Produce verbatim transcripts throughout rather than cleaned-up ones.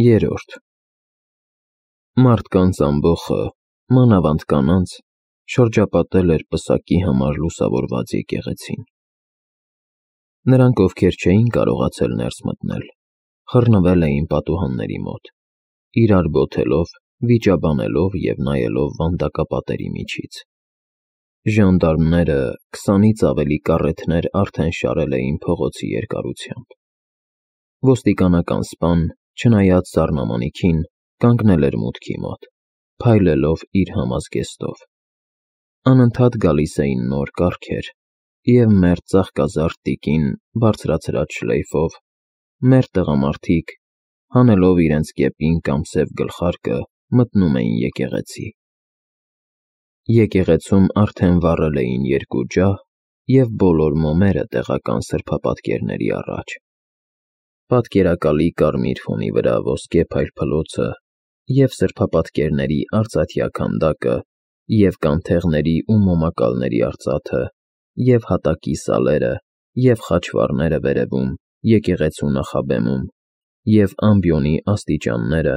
Երրորդ Մարդկանց ամբոխը, մանավանդ կանանց, շրջապատել էր պսակի համար լուսավորված եկեղեցին. նրանք, ովքեր չէին կարողացել ներս մտնել, խռնվել էին պատուհանների մոտ, իրար բոթելով, վիճաբանելով և նայելով վանդակապատերի միջից: Ժանդարմները քսանից ավելի կառեթներ արդեն շարել էին փողոցի երկարությամբ: Ոստիկանական սպան, չնայած սառնամանիքին, կանգնել էր մուտքի մոտ, փայլելով իր համազգեստով: Անընդհատ գալիս էին նոր կառքեր, և մերթ ծաղկազարդ տիկին բարձրացրած շլեյֆով, մերթ տղամարդիկ, հանելով իրենց կեպին կամ սև գլխարկը, մտնում էին եկեղեցի: Եկեղեցում արդեն վառել էին երկու ջահ և բոլոր մոմերը տեղական սրբապատկերների առաջ: Պատկերակալի կարմիր ֆոնի վրա ոսկե փայլփլոցը և սրբապատկերների արծաթյա քանդակը և կանթեղների ու մոմակալների արծաթը և հատակի սալերը և խաչվառները վերևում, եկեղեցու նախաբեմում և ամբիոնի աստիճանները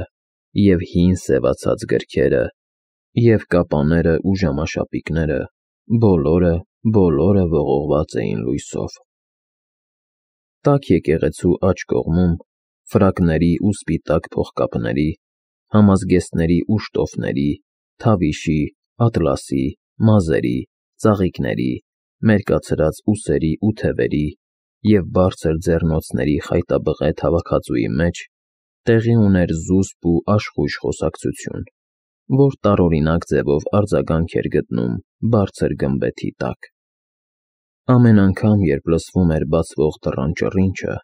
և հին սևացած գրքերը և կապաներն ու ժամաշապիկները, բոլորը, բոլորը ողողված էին լույսով: Տաք եկեղեցու աջ կողմում, ֆրակների ու սպիտակ փողկապների, համազգեստների ու շտոֆների, թավիշի, ատլասի, մազերի, ծաղիկների, մերկացրած ուսերի ու թևերի և բարձր ձեռնոցների խայտաբղետ հավաքածուի մեջ տեղի ուներ զուսպ ու աշխույժ խոսակցություն, որ տարօրինակ ձևով արձագանք էր գտնում բարձր գմբեթի տակ: Ամեն անգամ, երբ լսվում էր բացվող դռան ճռինչը,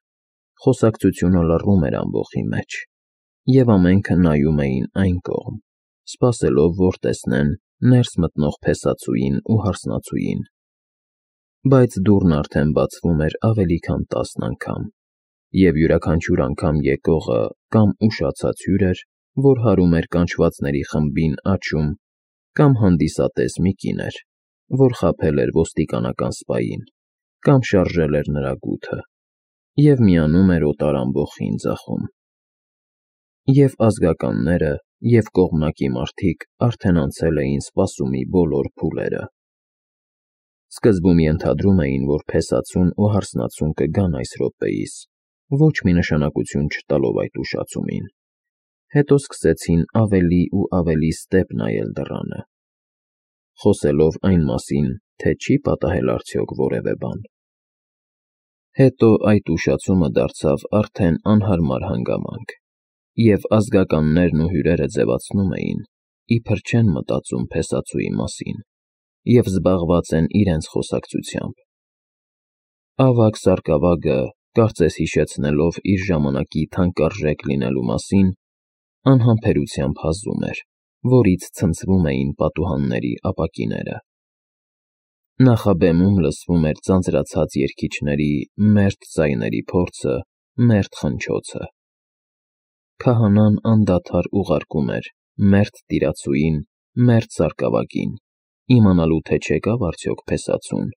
խոսակցությունը լռում էր ամբոխի մեջ, և ամենքը նայում էին այն կողմ, սպասելով, որ տեսնեն ներս մտնող փեսացուին ու հարսնացուին: Բայց դուռն արդեն բացվում էր ավելի քան տասն անգամ, և յուրաքանչյուր անգամ եկողը կամ ուշացած հյուր էր, որ հարում էր կանչվածների խմբին աջում, կամ հանդիսատես մի կին էր, որ խաբել էր ոստիկանական սպային, կամ շարժել էր նրա գութը և միանում էր օտար ամբոխին ձախում: Եվ ազգականները, և կողմնակի մարդիկ արդեն անցել էին սպասումի բոլոր փուլերը: Սկզբում ենթադրում էին, որ փեսացուն ու հարսնացուն կգան այս րոպեիս, ոչ մի նշանակություն չտալով այդ ուշացումին: Հետո սկսեցին ավելի ու ավելի ստեպ նայել դռանը, խոսելով այն մասին, թե չի՞ պատահել արդյոք որևէ բան: Հետո այդ ուշացումը դարձավ արդեն անհարմար հանգամանք, և ազգականներն ու հյուրերը ձևացնում էին, իբր չեն մտածում փեսացուի մասին և զբաղված են իրենց խոսակցությամբ: Ավագ սարկավագը, կարծես հիշեցնելով իր ժամանակի թանկարժեք լինելու մասին, անհամբերությամբ հազում էր, որից ցնցվում էին պատուհանների ապակիները: Նախաբեմում լսվում էր ձանձրացած երգիչների մերթ ձայների փորձը, մերթ խնչոցը: Քահանան անդադար ուղարկում էր մերթ տիրացուին, մերթ սարկավագին, իմանալու թե չեկա՞վ արդյոք փեսացուն,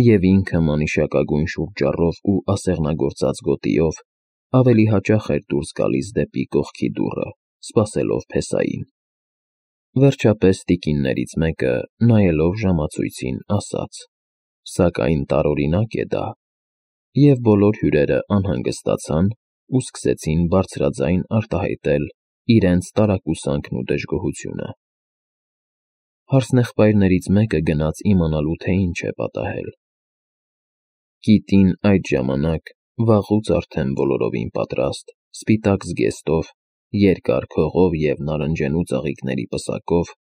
և ինքը մանիշակագույն շուրթճառով ու ասեղնագործած գոտիով ավելի հաճախ էր դուրս գալիս դեպի կողքի դուռը, սպասելով փեսային: Վերջապես տիկիններից մեկը, նայելով ժամացույցին, ասաց. «Սակայն տարօրինակ է դա», և բոլոր հյուրերը անհանգստացան ու սկսեցին բարձրաձայն արտահայտել իրենց տարակուսանքն ու դժգոհությունը: Հարսնեղբայրներից մեկը գնաց իմանալու, թե ինչ է պատահել: Կիտին այդ ժամանակ, վաղուց արդեն բոլորովին պատրաստ, սպիտակ զգեստով, երկար քողով և նարնջենու ծաղիկների պսակով,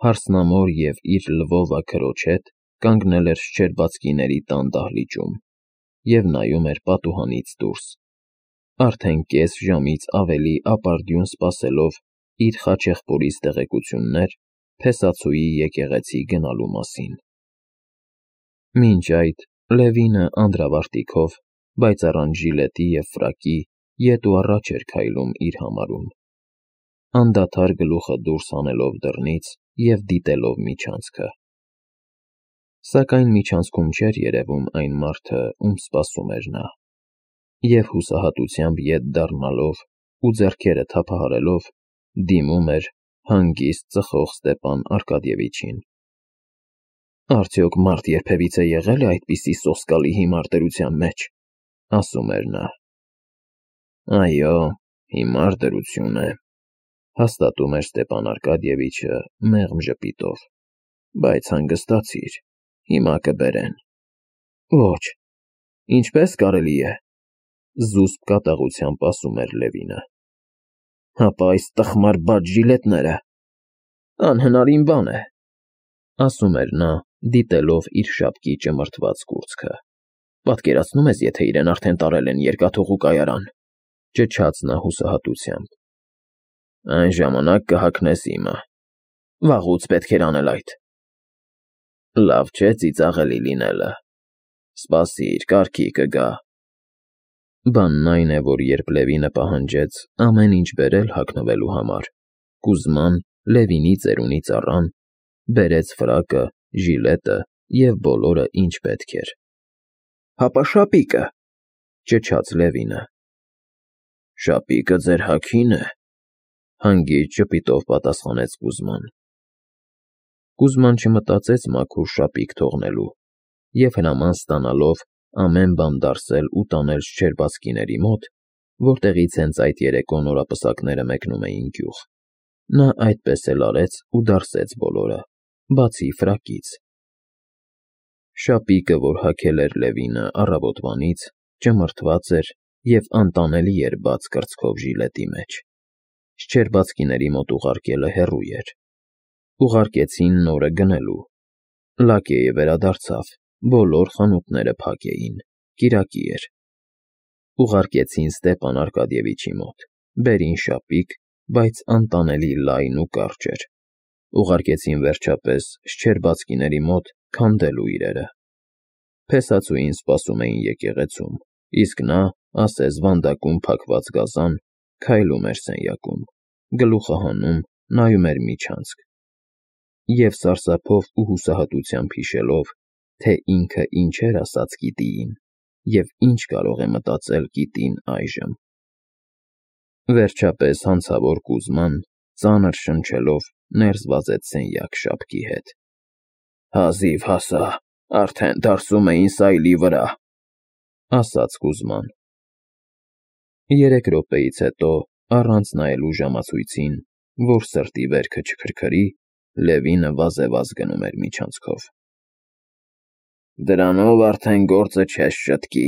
հարսնամոր և իր լվովա քրոջ հետ կանգնել էր շչերբացկիների տան դահլիճում և նայում էր պատուհանից դուրս, արդեն կես ժամից ավելի ապարդյուն սպասելով իր խաչեղբորից տեղեկություններ փեսացուի եկեղեցի գնալու մասին: Մինչ այդ Լևինը անդրավարտիքով, բայց առանց ժիլետի և ֆրակի, ետ ու առաջ էր քայլում իր համարում, անդադար գլուխը դուրս հանելով դռնից և դիտելով միջանցքը: Սակայն միջանցքում չէր երևում այն մարդը, ում սպասում էր նա: Եվ հուսահատությամբ ետ դառնալով, ու ձեռքերը թափահարելով դիմում էր հանգիստ ծխող Ստեպան Արկադիևիչին։ Արդյոք մարդ երբևիցե եղել է այդպիսի սոսկալի հիմար դրության մեջ, ասում էր նա։ Այո, հիմար դրություն է, հաստատում էր Ստեպան Արկադիևիչը մեղմ ժպիտով, բայց հանգստացիր, հիմա կբերեն։ Ոչ, ինչպես կարելի է, զուսպ կատաղությամբ ասում էր Լևինը։ Հապա այս տխմար բաց ժիլետները, անհնարին բան է, ասում էր նա, դիտելով իր շապկի ճմրթված կուրծքը։ Պատկերացնում ես, եթե իրեն արդեն տարել են երկաթուղու կայարան, ճչաց նա հուսահատությամբ։ Այն ժամանակ կհագնես իմը, վաղուց պետք էր անել այդ։ Լավ չէ ծիծաղելի լինելը, սպասիր, կարգի կգա։ Բանն այն է, որ երբ Լևինը պահանջեց ամեն ինչ բերել հագնվելու համար, Կուզման Լևինի ծերունի ծառան բերեց ֆրակը, ժիլետը և բոլորը, ինչ պետք էր։ Հապա շապիկը, ճչաց Լևինը։ Շապիկը ձեր հագին է, հանգիստ ժպիտով պատասխանեց Կուզման։ Կուզման չմտածեց մաքուր շապիկ թողնելու և հրաման ստանալով ամեն բան դարսել ու տանել Շչերբացկիների մոտ, որտեղից հենց այդ երեկո նորապսակները մեկնում էին գյուղ, նա այդպես էլ արեց ու դարսեց բոլորը, բացի ֆրակից։ Շապիկը, որ հագել էր Լևինը առավոտվանից, ճմրթված էր և անտանելի էր բաց կրծքով ժիլետի մեջ։ Շչերբացկիների մոտ ուղարկելը հեռու էր։ Ուղարկեցին նորը գնելու։ Լակեյը վերադարձավ, բոլոր խանութները փակ էին, կիրակի էր։ Ուղարկեցին Ստեպան Արկադիևիչի մոտ, բերին շապիկ, բայց անտանելի լայն ու կարճ էր։ Ուղարկեցին վերջապես Շչերբացկիների մոտ քանդելու իրերը։ Փեսացուին սպասում էին եկեղեցում, իսկ նա, ասես վանդակում փակված գազան, քայլում էր սենյակում, գլուխը հանում, նայում էր միջանցք և սարսափով ու հուսահատությամբ հիշելով, թե ինքը ինչեր ասաց Կիտիին և ինչ կարող է մտածել Կիտին այժմ։ Վերջապես հանցավոր Կուզման, ծանր շնչելով, ներս վազեց սենյակ շապկի հետ։ Հազիվ հասա, արդեն դարսում էին սայլի վրա, ասաց Կուզման։ Երեք րոպեից հետո, առանց նայելու ժամացույցին, որ սրտի վերքը չքրքրի, Լևինը վազեվազ գնում էր միջանցքով։ Դրանով արդեն գործը չես շտկի,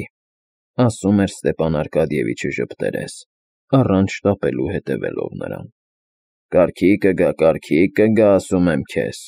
ասում էր Ստեպան Արկադիևիչը ժպտերես, առանց շտապելու հետևելով նրան։ Կարգի կգա, կարգի կգա, ասում եմ քեզ։